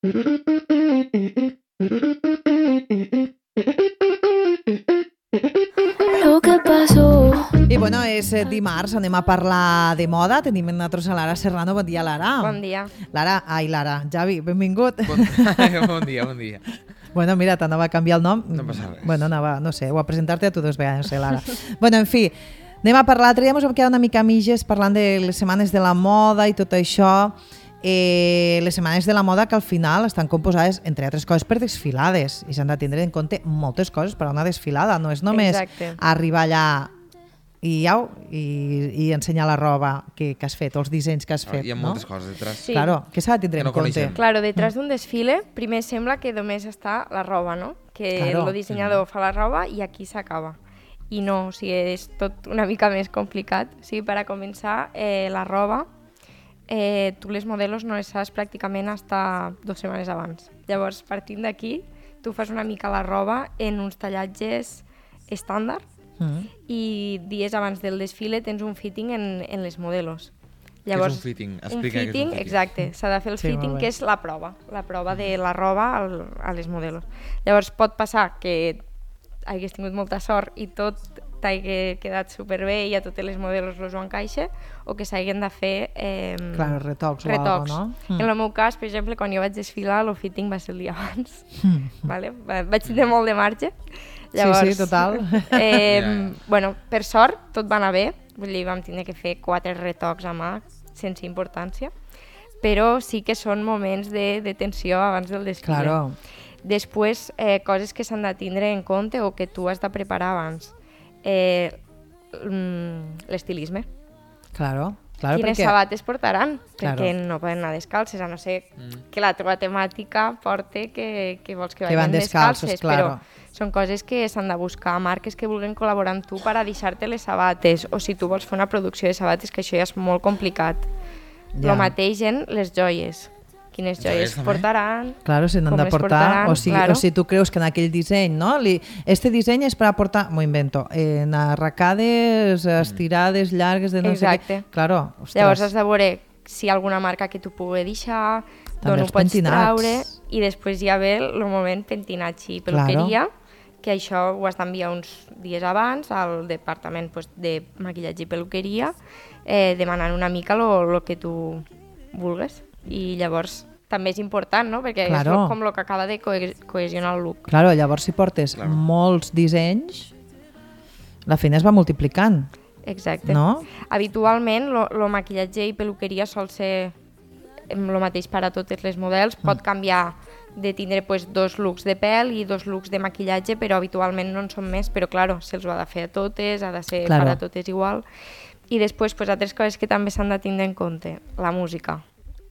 Lo que pasó. I bueno, és dimarts, anem a parlar de moda. Tenim amb nosaltres a Lara Serrano. Bon dia, Lara. Bon dia. Lara, Javi, benvingut. Bon dia. Bueno, mira, t'anava a canviar el nom. No passa res. Bueno, anava, no sé, o a presentar-te a tu dos vegades, no sé, Lara. Bueno, en fi, anem a parlar. L'altre dia ens vam quedar una mica mitges parlant de les setmanes de la moda i tot això. Les setmanes de la moda que al final estan composades, entre altres coses, per desfilades i s'han de tindre en compte moltes coses per a una desfilada. No és només arribar allà i ensenyar la roba que has fet, els dissenys que has fet. Hi ha moltes coses detrás. Sí. Claro, que s'ha de tindre en compte. Claro, detrás d'un desfile, primer sembla que només està la roba, no? Que el dissenyador fa la roba i aquí s'acaba. I no, o sigui, és tot una mica més complicat. O sigui, per a començar, la roba, tu les modelos no les saps pràcticament hasta 2 setmanes abans. Llavors, partint d'aquí, tu fas una mica la roba en uns tallatges estàndard i dies abans del desfile tens un fitting en les modelos. Llavors, què és un fitting? Explica un fitting, què és un fitting. exacte, s'ha de fer el fitting, que és la prova de la roba a les modelos. Llavors pot passar que hagués tingut molta sort i tot t'hagi quedat superbé i a totes les modelos els ho encaixa, o que s'hagin de fer retocs o alguna cosa, no? En el meu cas, per exemple, quan jo vaig desfilar, el fitting va ser el dia abans. Vale? Vaig tenir molt de marge. Llavors, sí, total. Bueno, per sort, tot va anar bé. Vull dir, vam tenir que fer 4 retocs a mà, sense importància. Però sí que són moments de tensió abans del desfile. Claro. Després, coses que s'han de tindre en compte o que tu has de preparar abans. L'estilisme. Claro, Quines sabates portaran? Claro. Perquè no poden anar descalces, a no ser que la teva temàtica porte que vols que van vagin descalces, claro. Però són coses que s'han de buscar, marques que vulguin col·laborar amb tu per a deixar-te les sabates, o si tu vols fer una producció de sabates, que això ja és molt complicat. El mateix en les joies. Quines joies portaran, claro, se n'han de portar, o si tu creus que en aquell disseny, no? Este disseny és per a portar, m'ho invento, en arracades, estirades, llargues, de no sé què. Claro, ostres. Llavors has de veure si hi ha alguna marca que tu pugui deixar, d'on ho pots traure, i després ja ve el moment pentinatge i peluqueria, que això ho has d'enviar uns dies abans al departament de maquillatge i peluqueria, demanant una mica el que tu vulgues. I llavors també és important, no? Perquè és com el que acaba de cohesionar el look. Claro, llavors si portes molts dissenys, la feina es va multiplicant. Exacte. No? Habitualment, el maquillatge i peluqueria sol ser el mateix per a totes les models. Pot canviar de tindre 2 looks de pèl i 2 looks de maquillatge, però habitualment no en són més, però claro, se'ls ho ha de fer a totes, ha de ser per a totes igual. I després, altres coses que també s'han de tindre en compte. La música.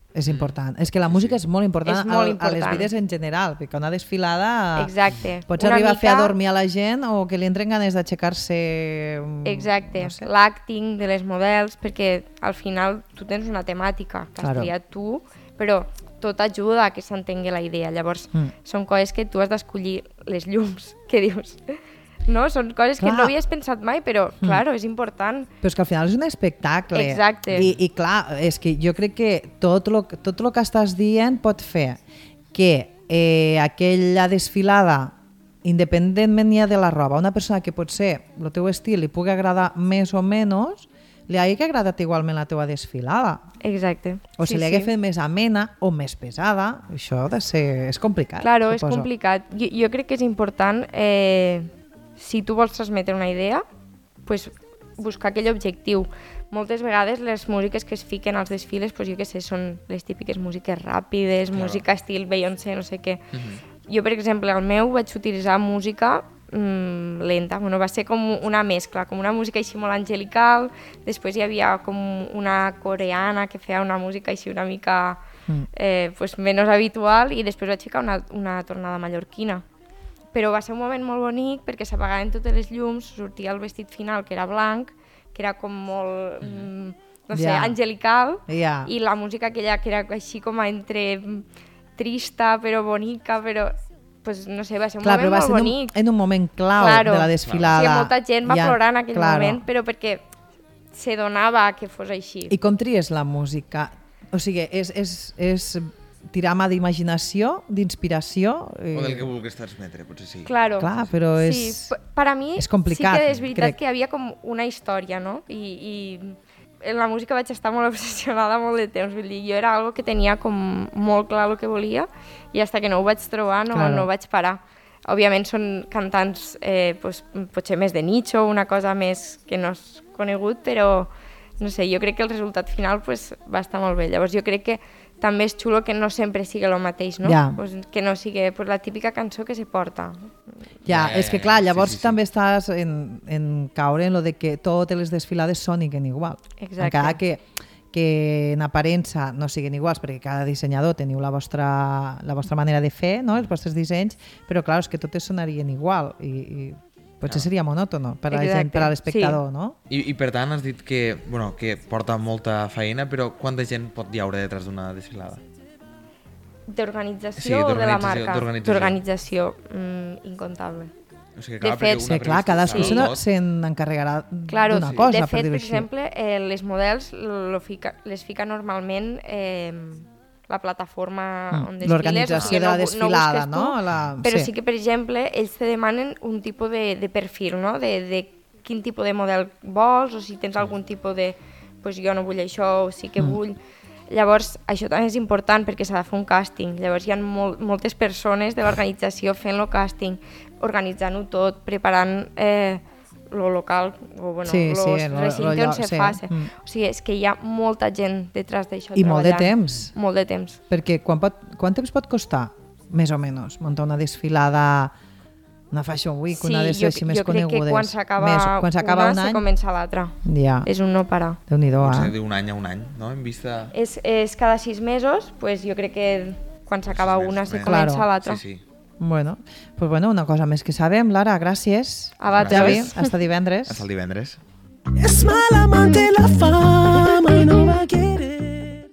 És important. És que la música és molt important, a les vides en general, perquè una desfilada pots arribar a fer a dormir a la gent o que li entren ganes d'aixecar-se. Exacte, l'acting de les models, perquè al final tu tens una temàtica que has triat tu, però tot ajuda a que s'entengui la idea. Llavors, són coses que tu has d'escollir, les llums, que dius... No? Són coses que no havies pensat mai, però, claro, és important. Però és que al final és un espectacle. Exacte. I clar, és que jo crec que tot el que estàs dient pot fer que aquella desfilada, independentment ja de la roba, una persona que potser el teu estil li pugui agradar més o menys, li hagi agradat igualment la teva desfilada. Exacte. O si li hagi fet més amena o més pesada, això ha de ser... és complicat. Claro, és complicat. Jo crec que és important... si tu vols transmetre una idea, pues, buscar aquell objectiu. Moltes vegades les músiques que es fiquen als desfiles, pues, jo què sé, són les típiques músiques ràpides, música estil Beyoncé, no sé què. Jo, per exemple, al meu vaig utilitzar música lenta. Bueno, va ser com una mescla, com una música així molt angelical, després hi havia com una coreana que feia una música així una mica pues, menys habitual, i després vaig ficar una tornada mallorquina. Però va ser un moment molt bonic perquè s'apagaven totes les llums, sortia el vestit final, que era blanc, que era com molt, no sé, angelical, i la música aquella que era així com entre trista però bonica, però pues, no sé, va ser un moment molt bonic. En un moment clau de la desfilada. Sí, molta gent va plorar en aquell moment, però perquè se donava que fos així. I com tries la música? O sigui, és tirar mà d'imaginació, d'inspiració. O del que vulguis transmetre, potser sí. Claro. Clar, però Sí, per a mi és complicat, sí que és veritat crec. que hi havia com una història, no? I en la música vaig estar molt obsessionada molt de temps, vull dir, jo era algo que tenia com molt clar el que volia i fins que no ho vaig trobar no vaig parar. Òbviament són cantants pues, potser més de nicho, una cosa més que no és conegut, però no sé, jo crec que el resultat final pues, va estar molt bé. Llavors jo crec que també és xulo que no sempre sigui el mateix, no? Ja. Pues, que no sigui pues, la típica cançó que se porta. Ja, és que clar, llavors sí. també estàs en caure en lo de que totes les desfilades soniquen igual. Exacte. Encara que en aparença no siguin iguals, perquè cada dissenyador teniu la vostra manera de fer, no? Els vostres dissenys, però clar, és que totes sonarien igual i potser seria monòtono per a la gent, per a l'espectador, sí. no? I per tant has dit que porta molta feina, però quanta gent pot hi haure detrás d'una desfilada? D'organització Sí, o de la marca? d'organització. D'organització, incontable. O sigui, De fet, Sí, clar, cadascú Sí. se n'encarregarà Claro, d'una cosa, de per fet, dir-ho per així. exemple, les models les fica normalment la plataforma on desfiles. L'organització de la desfilada, busques tu, no? Però sí que, per exemple, ells te demanen un tipus de perfil, no? De quin tipus de model vols, o si tens algun tipus de... Pues jo no vull això, o sí que vull... Llavors, això també és important perquè s'ha de fer un càsting. Llavors hi ha moltes persones de l'organització fent el càsting, organitzant-ho tot, preparant lo local, o bueno, los recintes on se faci. O sigui, és que hi ha molta gent detrás d'això I molt de treballant. temps. Molt de temps. Perquè quant temps pot costar, més o menys, muntar una desfilada, una Fashion Week, una de les així més conegudes? Jo crec que quan s'acaba un una, any, se comença l'altra. ja, És un no parar. Déu-n'hi-do, Potser d'un any a un any, no? En vista... És cada 6 mesos, pues jo crec que quan s'acaba 6 mesos una se més. comença Claro. l'altra. Sí. Bueno, pues bueno, una cosa més que sabem, Lara, gràcies. A vosaltres. Javi, hasta divendres. Hasta el divendres. It's my life.